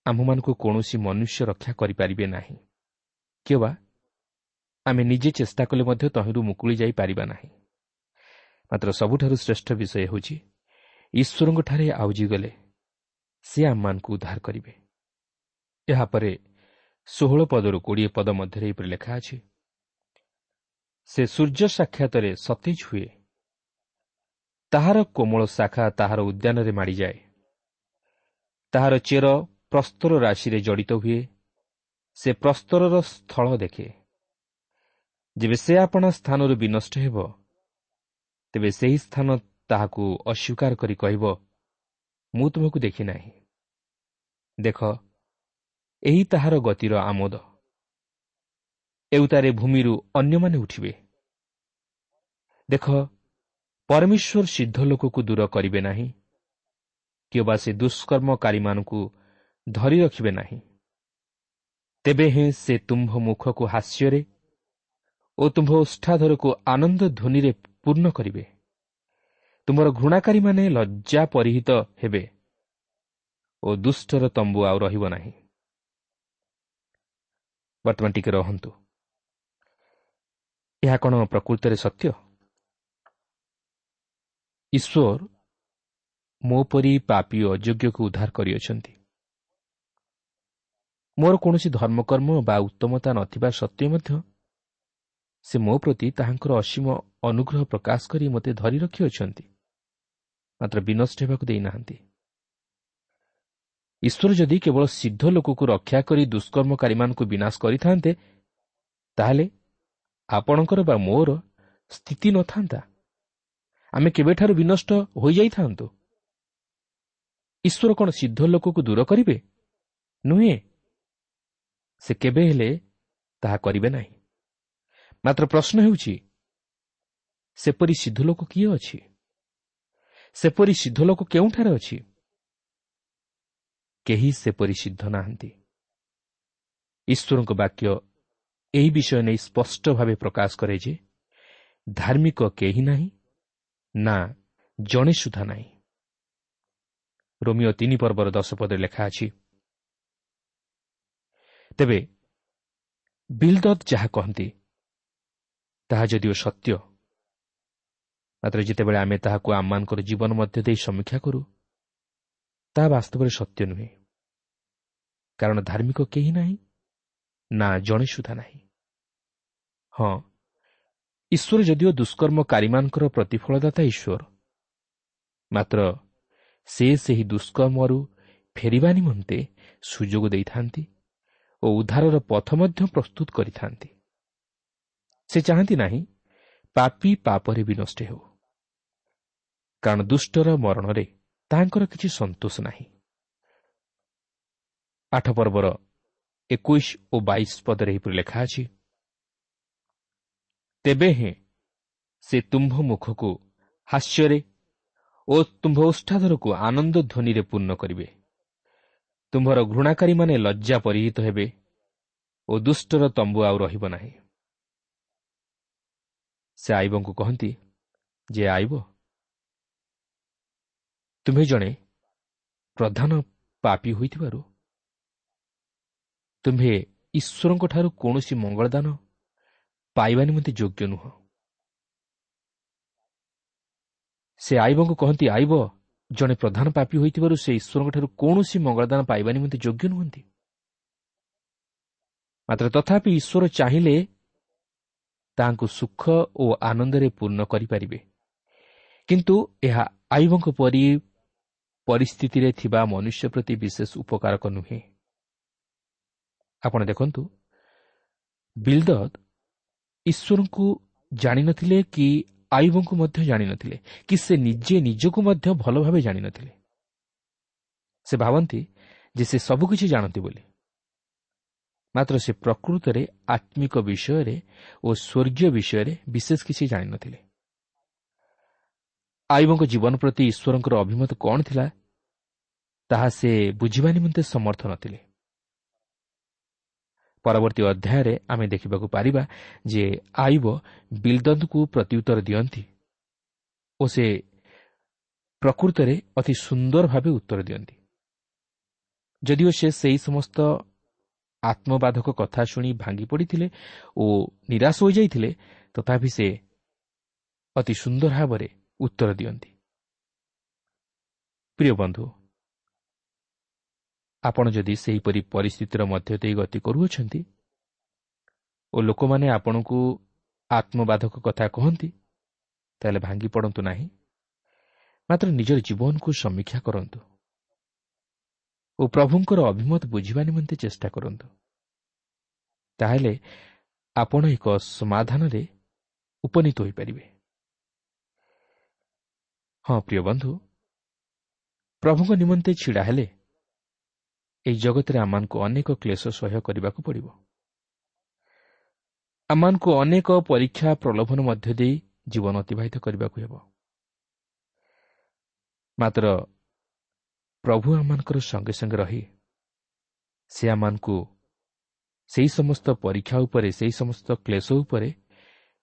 ଆମ୍ଭମାନଙ୍କୁ କୌଣସି ମନୁଷ୍ୟ ରକ୍ଷା କରିପାରିବେ ନାହିଁ, କିମ୍ବା ଆମେ ନିଜେ ଚେଷ୍ଟା କଲେ ମଧ୍ୟ ତହିଁରୁ ମୁକୁଳି ଯାଇପାରିବା ନାହିଁ। ମାତ୍ର ସବୁଠାରୁ ଶ୍ରେଷ୍ଠ ବିଷୟ ହେଉଛି, ଈଶ୍ୱରଙ୍କଠାରେ ଆଉଜିଗଲେ ସେ ଆମମାନଙ୍କୁ ଉଦ୍ଧାର କରିବେ। ଏହାପରେ ଷୋହଳ ପଦରୁ କୋଡ଼ିଏ ପଦ ମଧ୍ୟରେ ଏହିପରି ଲେଖା ଅଛି, ସେ ସୂର୍ଯ୍ୟ ସାକ୍ଷାତରେ ସତେଜ ହୁଏ, ତାହାର କୋମଳ ଶାଖା ତାହାର ଉଦ୍ୟାନରେ ମାଡ଼ିଯାଏ, ତାହାର ଚେର ପ୍ରସ୍ତର ରାଶିରେ ଜଡ଼ିତ ହୁଏ, ସେ ପ୍ରସ୍ତରର ସ୍ଥଳ ଦେଖେ। ଯେବେ ସେ ଆପଣା ସ୍ଥାନରୁ ବିନଷ୍ଟ ହେବ, ତେବେ ସେହି ସ୍ଥାନ ତାହାକୁ ଅସ୍ୱୀକାର କରି କହିବ, ମୁଁ ତୁମକୁ ଦେଖିନାହିଁ। ଦେଖ, ଏହି ତାହାର ଗତିର ଆମୋଦ, ଏଉତାରେ ଭୂମିରୁ ଅନ୍ୟମାନେ ଉଠିବେ। ଦେଖ, ପରମେଶ୍ୱର ସିଦ୍ଧ ଲୋକକୁ ଦୂର କରିବେ ନାହିଁ, କିମ୍ବା ସେ ଦୁଷ୍କର୍ମକାରୀମାନଙ୍କୁ ଧରି ରଖିବେ ନାହିଁ। ତେବେ ହିଁ ସେ ତୁମ୍ଭ ମୁଖକୁ ହାସ୍ୟରେ ଓ ତୁମ୍ଭ ଓଷ୍ଠାଧରକୁ ଆନନ୍ଦ ଧ୍ୱନିରେ ପୂର୍ଣ୍ଣ କରିବେ। ତୁମର ଘୃଣାକାରୀମାନେ ଲଜ୍ଜା ପରିହିତ ହେବେ ଓ ଦୁଷ୍ଟର ତମ୍ବୁ ଆଉ ରହିବ ନାହିଁ। ବର୍ତ୍ତମାନ ଟିକେ ରହନ୍ତୁ, ଏହା କ'ଣ ପ୍ରକୃତରେ ସତ୍ୟ? ଈଶ୍ୱର ମୋ ପରି ପାପୀ ଅଯୋଗ୍ୟକୁ ଉଦ୍ଧାର କରିଅଛନ୍ତି। ମୋର କୌଣସି ଧର୍ମକର୍ମ ବା ଉତ୍ତମତା ନଥିବା ସତ୍ତ୍ୱେ ମଧ୍ୟ ସେ ମୋ ପ୍ରତି ତାହାଙ୍କର ଅସୀମ ଅନୁଗ୍ରହ ପ୍ରକାଶ କରି ମୋତେ ଧରି ରଖିଅଛନ୍ତି, ମାତ୍ର ବିନଷ୍ଟ ହେବାକୁ ଦେଇନାହାନ୍ତି। ଈଶ୍ୱର ଯଦି କେବଳ ସିଦ୍ଧ ଲୋକକୁ ରକ୍ଷା କରି ଦୁଷ୍କର୍ମକାରୀମାନଙ୍କୁ ବିନାଶ କରିଥାନ୍ତେ, ତାହେଲେ ଆପଣଙ୍କର ବା ମୋର ସ୍ଥିତି ନଥାନ୍ତା। ଆମେ କେବେଠାରୁ ବିନଷ୍ଟ ହୋଇଯାଇଥାନ୍ତୁ। ଈଶ୍ୱର କ'ଣ ସିଦ୍ଧ ଲୋକକୁ ଦୂର କରିବେ? ନୁହେଁ, ସେ କେବେ ହେଲେ ତାହା କରିବେ ନାହିଁ। ମାତ୍ର ପ୍ରଶ୍ନ ହେଉଛି, ସେପରି ସିଦ୍ଧ ଲୋକ କିଏ ଅଛି? ସେପରି ସିଦ୍ଧ ଲୋକ କେଉଁଠାରେ ଅଛି? କେହି ସେପରି ସିଦ୍ଧ ନାହାନ୍ତି। ଈଶ୍ୱରଙ୍କ ବାକ୍ୟ ଏହି ବିଷୟ ନେଇ ସ୍ପଷ୍ଟ ଭାବେ ପ୍ରକାଶ କରେ ଯେ ଧାର୍ମିକ କେହି ନାହିଁ, ନା ଜଣେ ସୁଦ୍ଧା ନାହିଁ। ରୋମିଓ ତିନି ପର୍ବର ଦଶ ପଦରେ ଲେଖା ଅଛି, ତେବେ ବିଲଦଦ ଯାହା କହନ୍ତି ତାହା ଯଦିଓ ସତ୍ୟ, ମାତ୍ର ଯେତେବେଳେ ଆମେ ତାହାକୁ ଆମମାନଙ୍କର ଜୀବନ ମଧ୍ୟ ଦେଇ ସମୀକ୍ଷା କରୁ, ତାହା ବାସ୍ତବରେ ସତ୍ୟ ନୁହେଁ। କାରଣ ଧାର୍ମିକ କେହି ନାହିଁ, ନା ଜଣେ ସୁଦ୍ଧା ନାହିଁ। ହଁ, ଈଶ୍ୱର ଯଦିଓ ଦୁଷ୍କର୍ମକାରୀମାନଙ୍କର ପ୍ରତିଫଳଦାତା ଈଶ୍ୱର, ମାତ୍ର ସେ ସେହି ଦୁଷ୍କର୍ମରୁ ଫେରିବା ନିମନ୍ତେ ସୁଯୋଗ ଦେଇଥାନ୍ତି ଓ ଉଦ୍ଧାରର ପଥ ମଧ୍ୟ ପ୍ରସ୍ତୁତ କରିଥାନ୍ତି। ସେ ଚାହାନ୍ତି ନାହିଁ ପାପୀ ପାପରେ ବିନଷ୍ଟ ହେଉ, କାରଣ ଦୁଷ୍ଟର ମରଣରେ ତାହାଙ୍କର କିଛି ସନ୍ତୋଷ ନାହିଁ। ଆଠ ପର୍ବର ଏକୋଇଶ ଓ ବାଇଶ ପଦରେ ଏହିପରି ଲେଖା ଅଛି, ତେବେ ହେଁ ସେ ତୁମ୍ଭ ମୁଖକୁ ହାସ୍ୟରେ ଓ ତୁମ୍ଭ ଓଷ୍ଠାଧରକୁ ଆନନ୍ଦ ଧ୍ୱନିରେ ପୂର୍ଣ୍ଣ କରିବେ। ତୁମ୍ଭର ଘୃଣାକାରୀମାନେ ଲଜ୍ଜା ପରିହିତ ହେବେ ଓ ଦୁଷ୍ଟର ତମ୍ବୁ ଆଉ ରହିବ ନାହିଁ। ସେ ଆଇବଙ୍କୁ କହନ୍ତି ଯେ ଆଇବ, ତୁମ୍ଭେ ଜଣେ ପ୍ରଧାନ ପାପୀ ହୋଇଥିବାରୁ ତୁମ୍ଭେ ଈଶ୍ୱରଙ୍କଠାରୁ କୌଣସି ମଙ୍ଗଳଦାନ ପାଇବା ନିମନ୍ତେ ଯୋଗ୍ୟ ନୁହଁ। ସେ ଆଇବଙ୍କୁ କହନ୍ତି, ଆଇବ ଜଣେ ପ୍ରଧାନ ପାପୀ ହୋଇଥିବାରୁ ସେ ଈଶ୍ୱରଙ୍କଠାରୁ କୌଣସି ମଙ୍ଗଳଦାନ ପାଇବା ନିମନ୍ତେ ଯୋଗ୍ୟ ନୁହନ୍ତି। ମାତ୍ର ତଥାପି ଈଶ୍ୱର ଚାହିଁଲେ ତାହାଙ୍କୁ ସୁଖ ଓ ଆନନ୍ଦରେ ପୂର୍ଣ୍ଣ କରିପାରିବେ। କିନ୍ତୁ ଏହା ଆଇବଙ୍କ ପରି ପରିସ୍ଥିତିରେ ଥିବା ମନୁଷ୍ୟ ପ୍ରତି ବିଶେଷ ଉପକାରକ ନୁହେଁ। ଆପଣ ଦେଖନ୍ତୁ, ବିଲଦଦ ଈଶ୍ୱରଙ୍କୁ ଜାଣିନଥିଲେ କି ଆଇବଙ୍କୁ ମଧ୍ୟ ଜାଣିନଥିଲେ କି ସେ ନିଜେ ନିଜକୁ ମଧ୍ୟ ଭଲ ଭାବେ ଜାଣିନଥିଲେ। ସେ ଭାବନ୍ତି ଯେ ସେ ସବୁକିଛି ଜାଣନ୍ତି ବୋଲି, ମାତ୍ର ସେ ପ୍ରକୃତରେ ଆତ୍ମିକ ବିଷୟରେ ଓ ସ୍ୱର୍ଗୀୟ ବିଷୟରେ ବିଶେଷ କିଛି ଜାଣିନଥିଲେ। ଆଇବଙ୍କ ଜୀବନ ପ୍ରତି ଈଶ୍ୱରଙ୍କର ଅଭିମତ କ'ଣ ଥିଲା ତାହା ସେ ବୁଝିବା ନିମନ୍ତେ ସମର୍ଥ ନଥିଲେ। ପରବର୍ତ୍ତୀ ଅଧ୍ୟାୟରେ ଆମେ ଦେଖିବାକୁ ପାରିବା ଯେ ଆଇବ ବିଲଦଦଙ୍କୁ ପ୍ରତ୍ୟୁତ୍ତର ଦିଅନ୍ତି ଓ ସେ ପ୍ରକୃତରେ ଅତି ସୁନ୍ଦର ଭାବେ ଉତ୍ତର ଦିଅନ୍ତି। ଯଦିଓ ସେ ସେହି ସମସ୍ତ ଆତ୍ମବାଧକ କଥା ଶୁଣି ଭାଙ୍ଗି ପଡ଼ିଥିଲେ ଓ ନିରାଶ ହୋଇଯାଇଥିଲେ, ତଥାପି ସେ ଅତି ସୁନ୍ଦର ଭାବରେ ଉତ୍ତର ଦିଅନ୍ତି। ପ୍ରିୟ ବନ୍ଧୁ, ଆପଣ ଯଦି ସେହିପରି ପରିସ୍ଥିତିର ମଧ୍ୟ ଦେଇ ଗତି କରୁଅଛନ୍ତି ଓ ଲୋକମାନେ ଆପଣଙ୍କୁ ଆତ୍ମବାଧକ କଥା କହନ୍ତି, ତାହେଲେ ଭାଙ୍ଗି ପଡ଼ନ୍ତୁ ନାହିଁ, ମାତ୍ର ନିଜର ଜୀବନକୁ ସମୀକ୍ଷା କରନ୍ତୁ ଓ ପ୍ରଭୁଙ୍କର ଅଭିମତ ବୁଝିବା ନିମନ୍ତେ ଚେଷ୍ଟା କରନ୍ତୁ। ତାହେଲେ ଆପଣ ଏକ ସମାଧାନରେ ଉପନୀତ ହୋଇପାରିବେ। ହଁ ପ୍ରିୟ ବନ୍ଧୁ, ପ୍ରଭୁଙ୍କ ନିମନ୍ତେ ଛିଡ଼ା ହେଲେ ଏହି ଜଗତରେ ଆମମାନଙ୍କୁ ଅନେକ କ୍ଲେଶ ସହ୍ୟ କରିବାକୁ ପଡ଼ିବ। ଆମମାନଙ୍କୁ ଅନେକ ପରୀକ୍ଷା ପ୍ରଲୋଭନ ମଧ୍ୟ ଦେଇ ଜୀବନ ଅତିବାହିତ କରିବାକୁ ହେବ। ମାତ୍ର ପ୍ରଭୁ ଆମମାନଙ୍କର ସଙ୍ଗେ ସଙ୍ଗେ ରହି ସେ ଆମମାନଙ୍କୁ ସେହି ସମସ୍ତ ପରୀକ୍ଷା ଉପରେ, ସେହି ସମସ୍ତ କ୍ଲେଶ ଉପରେ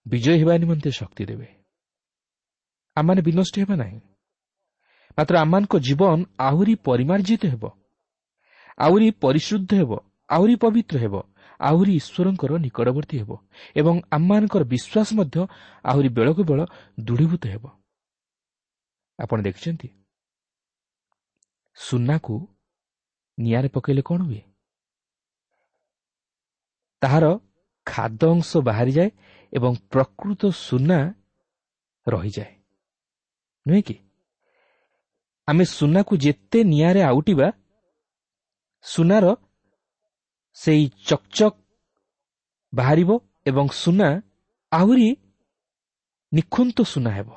ବିଜୟ ହେବା ନିମନ୍ତେ ଶକ୍ତି ଦେବେ। ଆମମାନେ ବିନଷ୍ଟ ହେବା ନାହିଁ, ମାତ୍ର ଆମମାନଙ୍କ ଜୀବନ ଆହୁରି ପରିମାର୍ଜିତ ହେବ, ଆହୁରି ପରିଶୁଦ୍ଧ ହେବ, ଆହୁରି ପବିତ୍ର ହେବ, ଆହୁରି ଈଶ୍ୱରଙ୍କର ନିକଟବର୍ତ୍ତୀ ହେବ ଏବଂ ଆମମାନଙ୍କର ବିଶ୍ୱାସ ମଧ୍ୟ ଆହୁରି ବେଳକୁ ବେଳ ଦୃଢ଼ୀଭୂତ ହେବ। ଆପଣ ଦେଖିଛନ୍ତି, ସୁନାକୁ ନିଆଁରେ ପକାଇଲେ କ'ଣ ହୁଏ? ତାହାର ଖାଦ୍ୟ ଅଂଶ ବାହାରିଯାଏ ଏବଂ ପ୍ରକୃତ ସୁନା ରହିଯାଏ, ନୁହେଁ କି? ଆମେ ସୁନାକୁ ଯେତେ ନିଆଁରେ ଆଉଟିବା, ସୁନାର ସେଇ ଚକଚକ୍ ବାହାରିବ ଏବଂ ସୁନା ଆହୁରି ନିଖୁନ୍ତ ସୁନା ହେବ।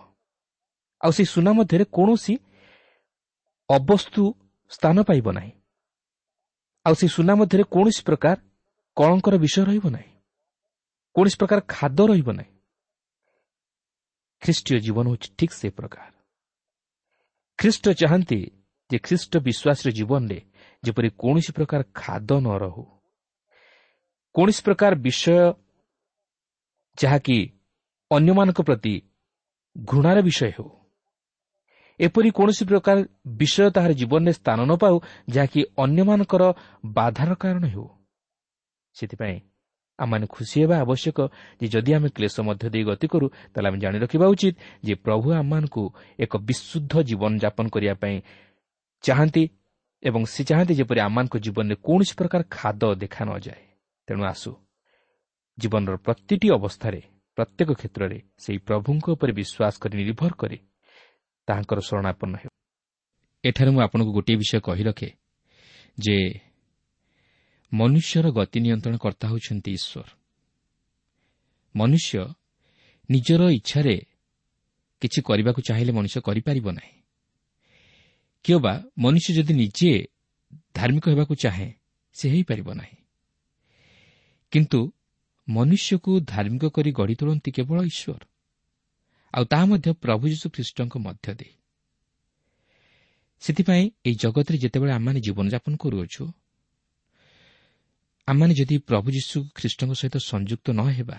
ଆଉ ସେଇ ସୁନା ମଧ୍ୟରେ କୌଣସି ଅବସ୍ତୁ ସ୍ଥାନ ପାଇବ ନାହିଁ। ଆଉ ସେଇ ସୁନା ମଧ୍ୟରେ କୌଣସି ପ୍ରକାର କଳଙ୍କର ବିଷୟ ରହିବ ନାହିଁ, କୌଣସି ପ୍ରକାର ଖାଦ୍ୟ ରହିବ ନାହିଁ। ଖ୍ରୀଷ୍ଟୀୟ ଜୀବନ ହେଉଛି ଠିକ୍ ସେ ପ୍ରକାର। ଖ୍ରୀଷ୍ଟ ଚାହାନ୍ତି ଯେ ଖ୍ରୀଷ୍ଟ ବିଶ୍ୱାସର ଜୀବନରେ ଯେପରି କୌଣସି ପ୍ରକାର ଖାଦ୍ୟ ନ ରହୁ, କୌଣସି ପ୍ରକାର ବିଷୟ ଯାହାକି ଅନ୍ୟମାନଙ୍କ ପ୍ରତି ଘୃଣାର ବିଷୟ ହେଉ, ଏପରି କୌଣସି ପ୍ରକାର ବିଷୟ ତାହାର ଜୀବନରେ ସ୍ଥାନ ନ ପାଉ ଯାହାକି ଅନ୍ୟମାନଙ୍କର ବାଧାର କାରଣ ହେଉ। ସେଥିପାଇଁ ଆମମାନେ ଖୁସି ହେବା ଆବଶ୍ୟକ ଯେ ଯଦି ଆମେ କ୍ଲେଶ ମଧ୍ୟ ଦେଇ ଗତି କରୁ, ତାହେଲେ ଆମେ ଜାଣି ରଖିବା ଉଚିତ ଯେ ପ୍ରଭୁ ଆମମାନଙ୍କୁ ଏକ ବିଶୁଦ୍ଧ ଜୀବନଯାପନ କରିବା ପାଇଁ ଚାହାନ୍ତି ଏବଂ ସେ ଚାହାନ୍ତି ଯେପରି ଆମମାନଙ୍କ ଜୀବନରେ କୌଣସି ପ୍ରକାର ଖାଦ୍ୟ ଦେଖା ନଯାଏ। ତେଣୁ ଆସୁ ଜୀବନର ପ୍ରତିଟି ଅବସ୍ଥାରେ, ପ୍ରତ୍ୟେକ କ୍ଷେତ୍ରରେ ସେହି ପ୍ରଭୁଙ୍କ ଉପରେ ବିଶ୍ୱାସ କରି ନିର୍ଭର କରି ତାହାଙ୍କର ଶରଣାପନ୍ନ ହେଉ। ଏଠାରେ ମୁଁ ଆପଣଙ୍କୁ ଗୋଟିଏ ବିଷୟ କହି ରଖେ ଯେ ମନୁଷ୍ୟର ଗତି ନିୟନ୍ତ୍ରଣ କର୍ତ୍ତା ହେଉଛନ୍ତି ଈଶ୍ୱର। ମନୁଷ୍ୟ ନିଜର ଇଚ୍ଛାରେ କିଛି କରିବାକୁ ଚାହିଁଲେ ମଣିଷ କରିପାରିବ ନାହିଁ। କିମ୍ବା ମନୁଷ୍ୟ ଯଦି ନିଜେ ଧାର୍ମିକ ହେବାକୁ ଚାହେଁ, ସେ ହୋଇପାରିବ ନାହିଁ। କିନ୍ତୁ ମନୁଷ୍ୟକୁ ଧାର୍ମିକ କରି ଗଢ଼ି ତୋଳନ୍ତି କେବଳ ଈଶ୍ୱର, ଆଉ ତାହା ମଧ୍ୟ ପ୍ରଭୁ ଯୀଶୁ ଖ୍ରୀଷ୍ଟଙ୍କ ମଧ୍ୟ ଦେଇ। ସେଥିପାଇଁ ଏହି ଜଗତରେ ଯେତେବେଳେ ଆମମାନେ ଜୀବନଯାପନ କରୁଅଛୁ, ଆମମାନେ ଯଦି ପ୍ରଭୁ ଯୀଶୁ ଖ୍ରୀଷ୍ଟଙ୍କ ସହିତ ସଂଯୁକ୍ତ ନ ହେବା,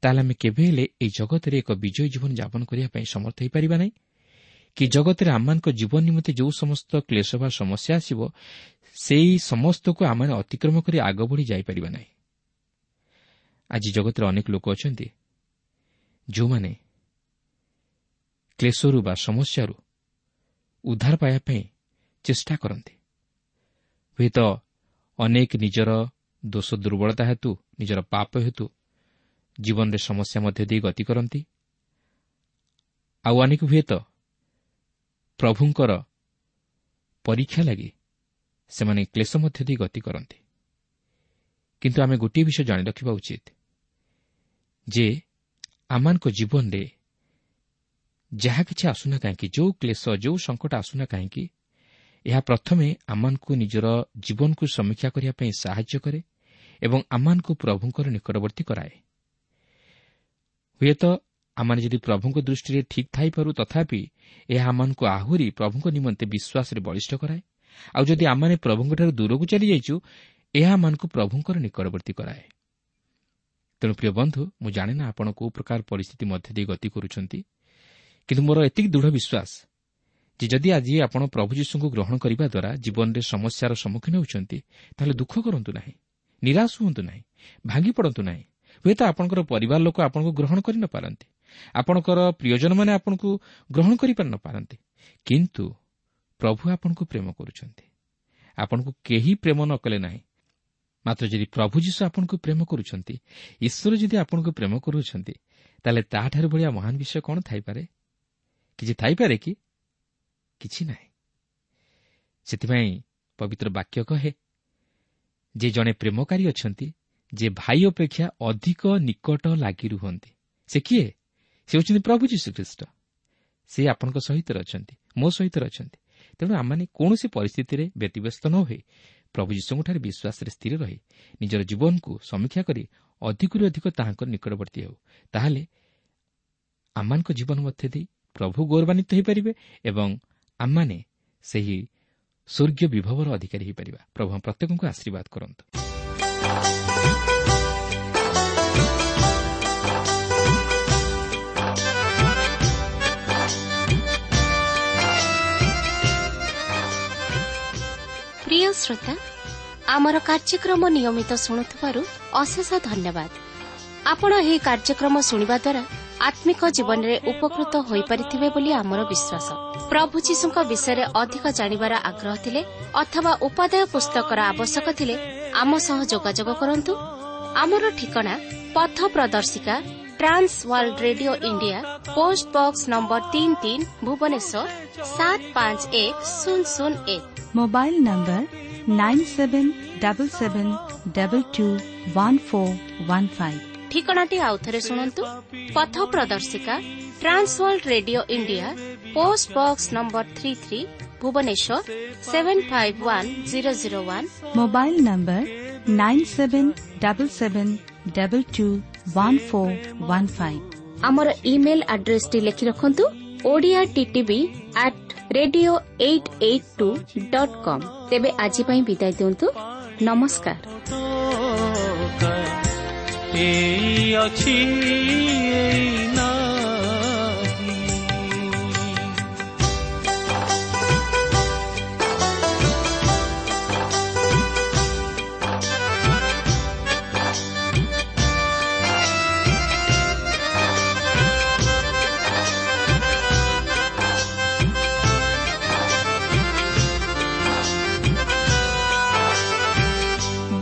ତାହେଲେ ଆମେ କେବେ ହେଲେ ଏହି ଜଗତରେ ଏକ ବିଜୟୀ ଜୀବନ ଯାପନ କରିବା ପାଇଁ ସମର୍ଥ ହୋଇପାରିବା ନାହିଁ କି ଜଗତରେ ଆମମାନଙ୍କ ଜୀବନ ନିମନ୍ତେ ଯେଉଁ ସମସ୍ତ କ୍ଲେଶ ବା ସମସ୍ୟା ଆସିବ, ସେହି ସମସ୍ତକୁ ଆମମାନେ ଅତିକ୍ରମ କରି ଆଗ ବଢ଼ି ଯାଇପାରିବା ନାହିଁ। ଆଜି ଜଗତରେ ଅନେକ ଲୋକ ଅଛନ୍ତି ଯେଉଁମାନେ କ୍ଲେଶରୁ ବା ସମସ୍ୟାରୁ ଉଦ୍ଧାର ପାଇବା ପାଇଁ ଚେଷ୍ଟା କରନ୍ତି। ହୁଏତ ଅନେକ ନିଜର ଦୋଷ ଦୁର୍ବଳତା ହେତୁ, ନିଜର ପାପ ହେତୁ ଜୀବନରେ ସମସ୍ୟା ମଧ୍ୟ ଦେଇ ଗତି କରନ୍ତି। ଆଉ ଅନେକ ହୁଏତ ପ୍ରଭୁଙ୍କର ପରୀକ୍ଷା ଲାଗି ସେମାନେ କ୍ଲେଶ ମଧ୍ୟ ଦେଇ ଗତି କରନ୍ତି। କିନ୍ତୁ ଆମେ ଗୋଟିଏ ବିଷୟ ଜାଣି ରଖିବା ଉଚିତ ଯେ ଆମମାନଙ୍କ ଜୀବନରେ ଯାହା କିଛି ଆସୁନା କାହିଁକି, ଯେଉଁ କ୍ଲେଶ, ଯେଉଁ ସଙ୍କଟ ଆସୁନା କାହିଁକି, ଏହା ପ୍ରଥମେ ଆମମାନଙ୍କୁ ନିଜର ଜୀବନକୁ ସମୀକ୍ଷା କରିବା ପାଇଁ ସାହାଯ୍ୟ କରେ ଏବଂ ଆମମାନଙ୍କୁ ପ୍ରଭୁଙ୍କର ନିକଟବର୍ତ୍ତୀ କରାଏ। ହୁଏତ ଆମମାନେ ଯଦି ପ୍ରଭୁଙ୍କ ଦୃଷ୍ଟିରେ ଠିକ୍ ଥାଇପାରୁ, ତଥାପି ଏହା ଆମମାନଙ୍କୁ ଆହୁରି ପ୍ରଭୁଙ୍କ ନିମନ୍ତେ ବିଶ୍ୱାସରେ ବଳିଷ୍ଠ କରାଏ। ଆଉ ଯଦି ଆମମାନେ ପ୍ରଭୁଙ୍କଠାରୁ ଦୂରକୁ ଚାଲିଯାଇଛୁ, ଏହା ଆମମାନଙ୍କୁ ପ୍ରଭୁଙ୍କର ନିକଟବର୍ତ୍ତୀ କରାଏ। ତେଣୁ ପ୍ରିୟ ବନ୍ଧୁ, ମୁଁ ଜାଣେ ନା ଆପଣ କେଉଁ ପ୍ରକାର ପରିସ୍ଥିତି ମଧ୍ୟ ଦେଇ ଗତି କରୁଛନ୍ତି, କିନ୍ତୁ ମୋର ଏତିକି ଦୃଢ଼ ବିଶ୍ୱାସ ଯେ ଯଦି ଆଜି ଆପଣ ପ୍ରଭୁ ଯୀଶୁଙ୍କୁ ଗ୍ରହଣ କରିବା ଦ୍ୱାରା ଜୀବନରେ ସମସ୍ୟାର ସମ୍ମୁଖୀନ ହେଉଛନ୍ତି, ତାହେଲେ ଦୁଃଖ କରନ୍ତୁ ନାହିଁ, ନିରାଶ ହୁଅନ୍ତୁ ନାହିଁ, ଭାଙ୍ଗି ପଡ଼ନ୍ତୁ ନାହିଁ। ହୁଏତ ଆପଣଙ୍କର ପରିବାର ଲୋକ ଆପଣଙ୍କୁ ଗ୍ରହଣ କରିନପାରନ୍ତି, ଆପଣଙ୍କର ପ୍ରିୟଜନମାନେ ଆପଣଙ୍କୁ ଗ୍ରହଣ କରିପାରିନପାରନ୍ତି, କିନ୍ତୁ ପ୍ରଭୁ ଆପଣଙ୍କୁ ପ୍ରେମ କରୁଛନ୍ତି। ଆପଣଙ୍କୁ କେହି ପ୍ରେମ ନ କଲେ ନାହିଁ, ମାତ୍ର ଯଦି ପ୍ରଭୁ ଯୀଶୁ ଆପଣଙ୍କୁ ପ୍ରେମ କରୁଛନ୍ତି, ଈଶ୍ୱର ଯଦି ଆପଣଙ୍କୁ ପ୍ରେମ କରୁଛନ୍ତି, ତାହେଲେ ତାହାଠାରୁ ଭଳିଆ ମହାନ ବିଷୟ କ'ଣ ଥାଇପାରେ? କିଛି ଥାଇପାରେ କି? କିଛି ନାହିଁ। ସେଥିପାଇଁ ପବିତ୍ର ବାକ୍ୟ କହେ ଯେ ଜଣେ ପ୍ରେମକାରୀ ଅଛନ୍ତି, ଯେ ଭାଇ ଅପେକ୍ଷା ଅଧିକ ନିକଟ ଲାଗି ରୁହନ୍ତି। ସେ କିଏ? ସେ ହେଉଛନ୍ତି ପ୍ରଭୁ ଯୀଶୁଖ୍ରୀଷ୍ଟ। ସେ ଆପଣଙ୍କ ସହିତ ଅଛନ୍ତି, ମୋ ସହିତ ଅଛନ୍ତି। ତେଣୁ ଆମମାନେ କୌଣସି ପରିସ୍ଥିତିରେ ବ୍ୟତିବ୍ୟସ୍ତ ନ ହୋଇ ପ୍ରଭୁ ଯୀଶୁଙ୍କଠାରେ ବିଶ୍ୱାସରେ ସ୍ଥିର ରହି ନିଜର ଜୀବନକୁ ସମୀକ୍ଷା କରି ଅଧିକରୁ ଅଧିକ ତାହାଙ୍କ ନିକଟବର୍ତ୍ତୀ ହେଉ। ତାହେଲେ ଆମମାନଙ୍କ ଜୀବନ ମଧ୍ୟ ଦେଇ ପ୍ରଭୁ ଗୌରବାନ୍ୱିତ ହୋଇପାରିବେ ଏବଂ ଆମମାନେ ସେହି ସ୍ୱର୍ଗୀୟ ବିଭବର ଅଧିକାରୀ ହୋଇପାରିବା। ପ୍ରଭୁ ପ୍ରତ୍ୟେକଙ୍କୁ ଆଶୀର୍ବାଦ କରନ୍ତୁ। ପ୍ରିୟ ଶ୍ରୋତା, ଆମର କାର୍ଯ୍ୟକ୍ରମ ନିୟମିତ ଶୁଣୁଥିବାରୁ ଅଶେଷ ଧନ୍ୟବାଦ। ଆପଣ ଏହି କାର୍ଯ୍ୟକ୍ରମ ଶୁଣିବା ଦ୍ୱାରା ଆତ୍ମିକ ଜୀବନରେ ଉପକୃତ ହୋଇପାରିଥିବେ ବୋଲି ଆମର ବିଶ୍ୱାସ। ପ୍ରଭୁ ଯୀଶୁଙ୍କ ବିଷୟରେ ଅଧିକ ଜାଣିବାର ଆଗ୍ରହ ଥିଲେ ଅଥବା ଉପାଦେୟ ପୁସ୍ତକର ଆବଶ୍ୟକ ଥିଲେ ଆମ ସହ ଯୋଗାଯୋଗ କରନ୍ତୁ। ଆମର ଠିକଣା ପଥ ପ୍ରଦର୍ଶିକା, Trans World Radio India, post box number ତିନି ତିନି, ଭୁବନେଶ୍ୱର ସାତ ପାଞ୍ଚ ଏକ ଶୂନ ଶୂନ ଏକ। Mobile number nine seven double seven double two one four one five. ଠିକଣାଟି ଆଉଥରେ ଶୁଣନ୍ତୁ। ପଥ ପ୍ରଦର୍ଶିକା, Trans World Radio India, post box number three three, Bhubaneswar seven five one zero zero one. Mobile number nine seven double seven double two one four one five. ଆମର email ଆଡ୍ରେସଟି ଲେଖି ରଖନ୍ତୁ, Odia TTV at radio eight eight two dot com. ତେବେ ଆଜି ପାଇଁ ବିଦାୟ ଦିଅନ୍ତୁ। ନମସ୍କାର। ଏଇ ଅଛି ଏଇ ନାହିଁ।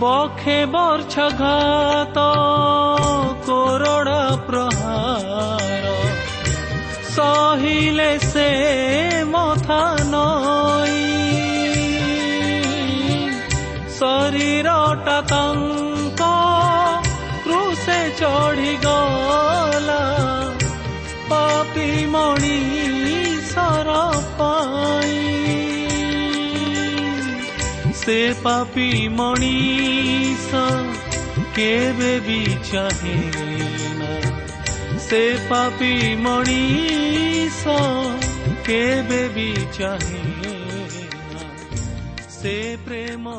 ବଖେ ବର୍ଷଘାତ କୋରଡ଼ା ପ୍ରହାର ସହିଲେ ସେ ମଥା ନଈ, ଶରୀରଟା ତାଙ୍କ କ୍ରୁଶେ ଚଢ଼ିଗଲା ପାପୀ ମଣିଷର ପାଇଁ। ସେ ପାପୀ ମଣିଷ କେବେ ବି ଚାହେଁ ନା, ସେ ପାପୀ ମଣିଷ କେବେ ବି ଚାହେଁ ନା, ସେ ପ୍ରେମ।